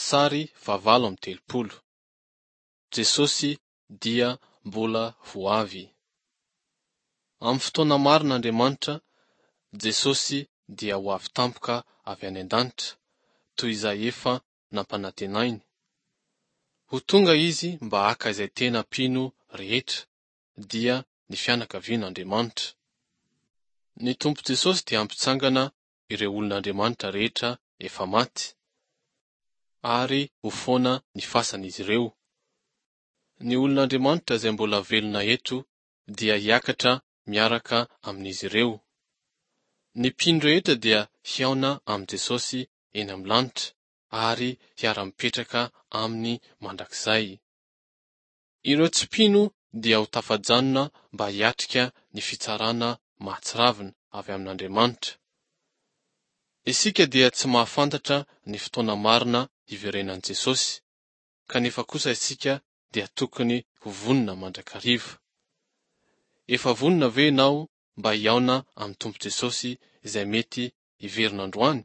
Sary fahavalo amby 30. Jesosy dia mbola ho avy. Amin'ny fotoana marina Andriamanitra, Jesosy dia ho avy tampoka avy any an-danitra, toy izay efa nampanantenainy. Ho tonga Izy mba haka izay tena mpino rehetra, dia ny fianakavian'Andriamanitra. Ny Tompo Jesosy dia hampitsangana ireo olon'Andriamanitra rehetra efa maty, ary ho foana ny fasan'izy ireo. Ny olon'Andriamanitra izay mbola velona eto dia hiakatra miaraka amin'izy ireo. Ny mpino rehetra dia hihaona amin'i Jesosy eny amin'ny lanitra ary hiara-mipetraka aminy mandrakizay. Ireo tsy mpino dia ho tafajanona mba hiatrika ny fitsarana mahatsiravina avy amin'Andriamanitra. Isika dia tsy mahafantatra ny fotoana marina hiverenan'i Jesosy, kanefa kosa isika dia tokony ho vonona mandrakariva. Efa vonona ve ianao mba hihaona amin'ny Tompo Jesosy izay mety hiverina androany?